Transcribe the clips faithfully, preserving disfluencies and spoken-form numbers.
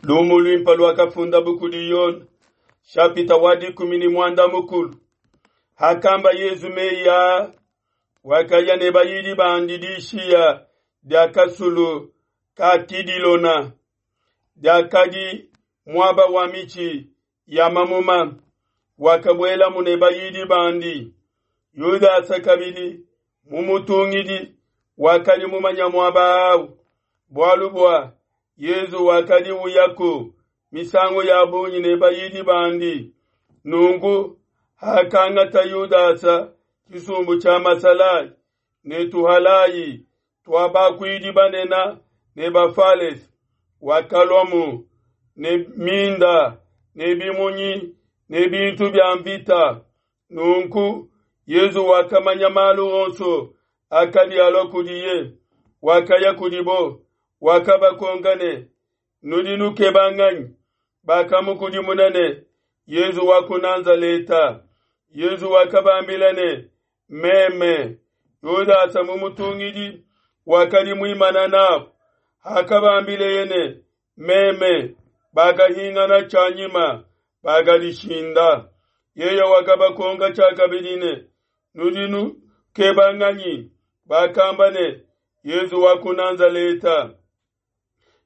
Lumu luimpe luakafundabu kudi Yone, shapita wa dikumi ne muanda mukulu. Hakamba Yezu meyi aa, wakaya ne bayidi bandi dishiya dia kasulu ka Kidilona, diakadi muaba wa mitshi ya mamuma. Wakabuelamu ne bayidi bandi. Yudasa kabidi mumutungidi wakadi mumanya muaba au, bualu bua Yezu wakadi uyaku misangu ya bungi ne bayidi bandi. Nunku hakangata Yudasa tshisumbu tshia masalayi ne tuhalayi tua bakuidi banene ne Bafalese, wakaluamu ne minda ne bimunyi ne bintu bia mvita. Nunku Yezu wakamanya malu onso akadi alua kudiye, wakaya kudibo, wakabakonka ne, Nudi nukeba nganyi? Bakamukudimuna ne, Yezu wa ku Nazaleta. Yezu wakabambila ne, Meme. Yudasa mumutungidi wakadi muimana nabo. Hakabambileye ne, Meme, bakahingana tshianyima, bakadishinda. Yeye wakabakonka tshiakabidi ne, Nudi nukeba nganyi? Bakamba ne, Yezu wa ku Nazaleta.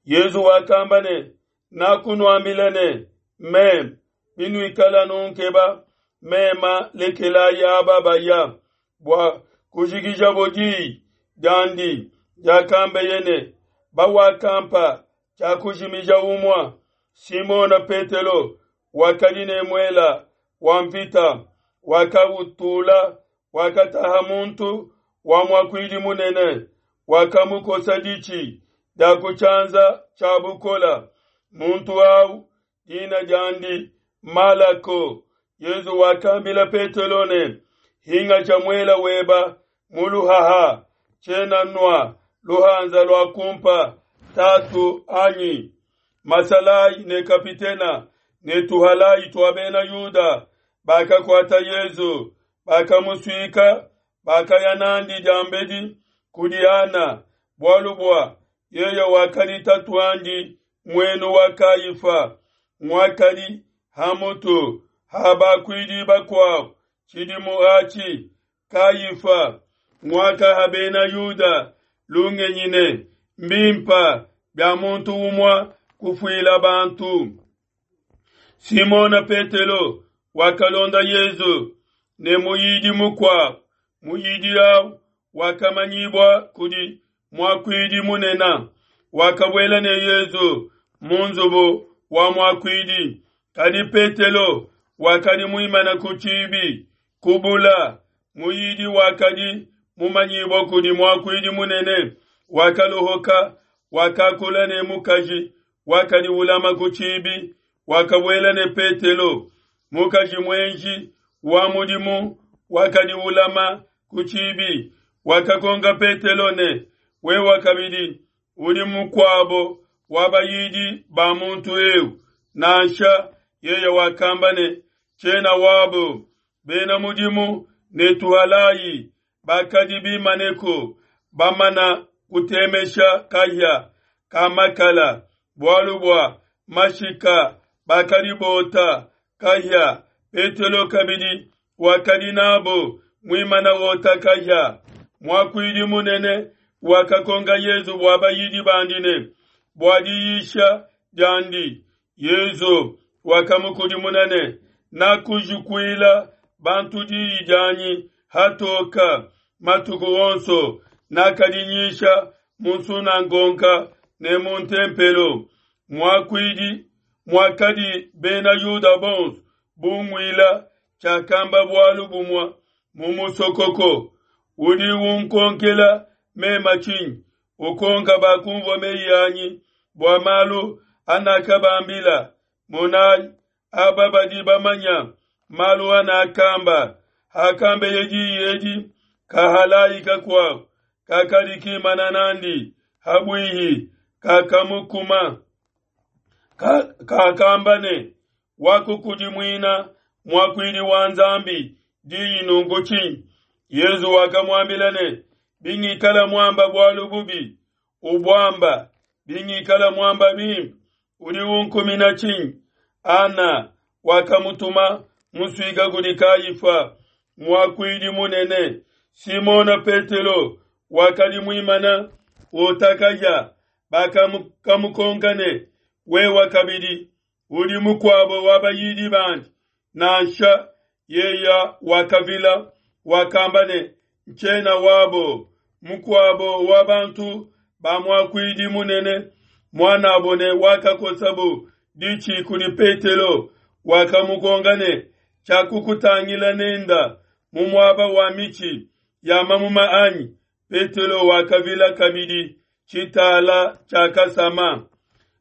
Yezu wakamba ne, Nakunuambila ne, Meme, binuikala nunkeba mema, lekelayi aba baya, bua kujikijabo diyi diandi diakambeye ne, Bawakampa tshiakujimija umue. Simona Petelo wakadi ne muela wa mvita, wakautula, wakataha muntu wa muakuidi munene, wakamukosa ditshi dia ku tshianza tshia bukola. Muntu au dina diandi Malako. Yezu wakambila Petelo ne, Hingasha muela weba mu luhaha, tshiena nua luhanza lua kumpa Tatu anyi? Masalayi ne kapitena ne tuhalayi tua bena Yuda bakakuata Yezu, bakamusuika, bakaya nandi diambedi kudi Ana, bualu bua yeye wakadi tatuandi muenu wa Kayifa, nguakadi ha mutu ha bakuidi bakuabo tshidimu atshi. Kayifa nguakaha bena Yuda lungenyi ne, Mbimpe bia muntu umue kufuila bantu. Simona Petelo wakalonda Yezu ne muyidi mukuabo. Muyidi au wakamanyibua kudi muakuidi munene, wakabuela ne Yezu mu nzubu wa muakuidi. Kadi Petelo wakadi muimane ku tshibi ku bula. Muyidi wakadi mumanyibua kudi muakuidi munene wakalohoka, wakakula ne mukaji wakadi ulama ku tshibi, wakabuela ne Petelo. Mukaji muenji wa mudimu wakadi ulama ku tshibi wakakonka Petelo ne, Wewe kabidi udi mukuabo wa bayidi ba muntu eu? Nansha yeye wakamba ne, Tshiena wabo. Bena mudimu ne tuhalayi bakadi bimaneko, bamana kutemesha kahia ka makala, bualu bua mashika bakadi bota kahia. Petelo kabidi wakadi nabo muimana wota kahia. Muakuidi munene wakakonka Yezu bua bayidi bandi ne bua diyisha diandi. Yezu wakamukudimuna ne, Nakujukuila bantu diyi dianyi hatoka matuku onso, nakadi nyisha mu nsunangonga ne mu ntempelo. Muakuidi muakadi bena Yuda bonso bunguila, tshiakamba bualu bumue mu musokoko. Udi unkonkela mema tshinyi? Ukonka bakumvua meyi anyi bua malu anakabambila. Monayi, aba badi bamanya malu anakamba. Hakambeye diyi edi, kahalayi kakuabo kakadi kimana nandi habuihi kakamukuma, kakamba ne, Wakukudimuina muakuidi wa Nzambi diyi nunku tshinyi? Yezu wakamuambila ne, Bingikala muamba bualu bubi, ubuamba; bingikala muamba bimpe, Udi unkumina tshinyi? Ana wakamutuma musuika kudi Kayifa, muakuidi munene. Simona Petelo wakadi muimana wota kahia. Bakamukonka ne, wewa kabidi udi mukuabo wa bayidi bandi? Nansha yeya wakavila, wakamba ne, ntshiena wabo. Mukuabo wa bantu ba muakuidi munene, muanabo ne wakakosabo ditshi kudi Petelo, wakamukonka ne, tshiakukutangila nenda mu muaba wa mitshi ya mamuma anyi? Petelo wakavila kabidi, tshitala tshiakasama.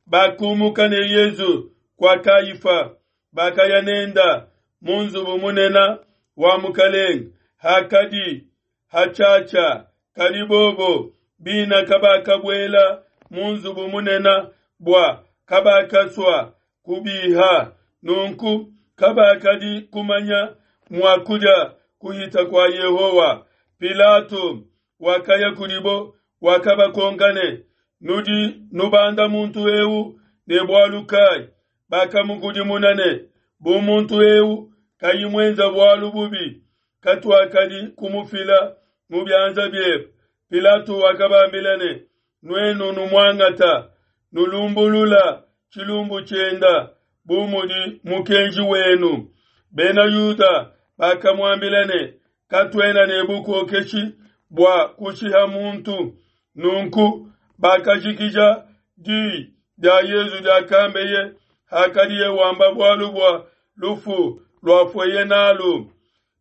Bakumuka ne Yezu kua Kayifa, bakaya nenda mu nzubu munene wa mukalenge. Hakadi hatshiatshia, kadi bobo bina kabakabuela mu nzubu munene bua kabakasua kubiha. Nunku kabakadi kumanya mua kudia kuhita kua Yehowa. Pilato wakaya kudibo, wakabakonka ne, nudi nubanda muntu eu ne bualu kai? Bakamukudimuna ne, bu muntu eu kayi muenza bualu bubi, katuakadi kumufila mu bianza biebe. Pilato wakabambila ne, nuenu numuangata, nulumbulula tshilumbu tshienda bu mudi mukenji wenu. Bena Yuda bakamuambila ne, katuena ne bukokeshi bua kushiha muntu. Nunku bakajikija di dia Yezu diakambeye hakadiye wamba bualu bua lufu luafueye nalu.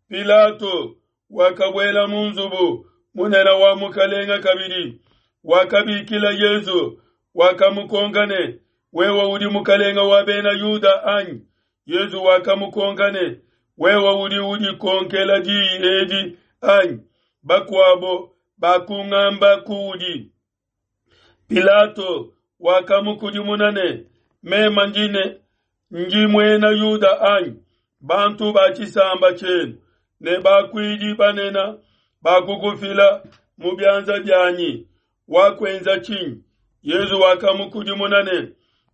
Pilato wakabuela mu nzubu munene wa mukalenga kabidi, wakabikila Yezu, wakamukonka ne, wewe udi mukalenga wa bena Yuda anyi? Yezu wakamukonka ne, wewe udi udikonkela diyi edi anyi? Bakuabo bakungamba kuudi. Pilato wakamukudimuna ne, mema ndi ne ndi muena Yuda anyi? Bantu ba tshisamba tshienu ne bakuidi banene bakukufila mu bianza bianyi, wakuenza tshinyi? Yezu wakamukudimuna ne,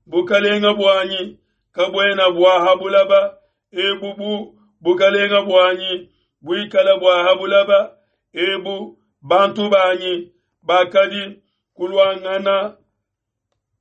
bukalenga buanyi kabuena bua ha bulaba ebu, bu bukalenga buanyi buikala bua ha bulaba ebu, bantu banyi bakadi kuluangana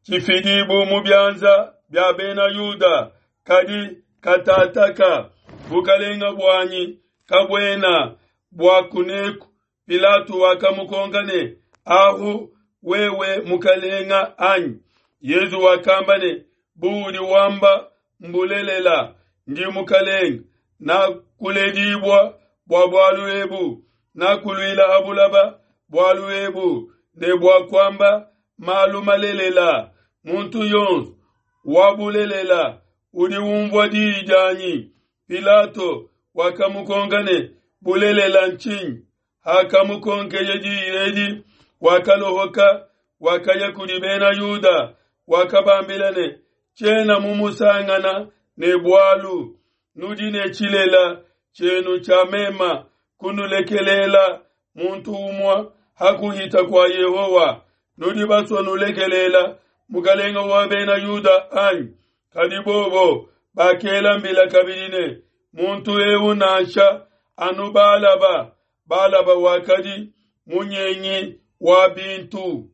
tshifidibu mu bianza bia bena Yuda, kadi katataka bukalenga buanyi kabuena bua kuneku. Pilato wakamukonka ne, ahu wewe mukalenga anyi? Yezu wakamba ne, buudi wamba mbulelela, ndi mukalenga, nakuledibua bua bualu ebu, nakuluila ha bulaba bualu ebu, ne bua kuamba malu malelela. Muntu yonso wa bulelela udi umvua diyi dianyi. Pilato wakamukonka ne, bulelela ntshinyi? Hakamukonkeye diyi edi, wakalohoka, wakaya kudi bena Yuda, wakabambila ne, tshiena mumusangana ne bualu. Nudi ne tshilela tshienu tshia mema kunulekelela muntu umue ha kuhita kua Yehowa. Nudi basue nulekelela mukalenga wa bena Yuda anyi? Kadi bobo bakela mbila kabidi ne, muntu eu nansha, anu Balaba. Balaba wakadi munyengi wa bintu.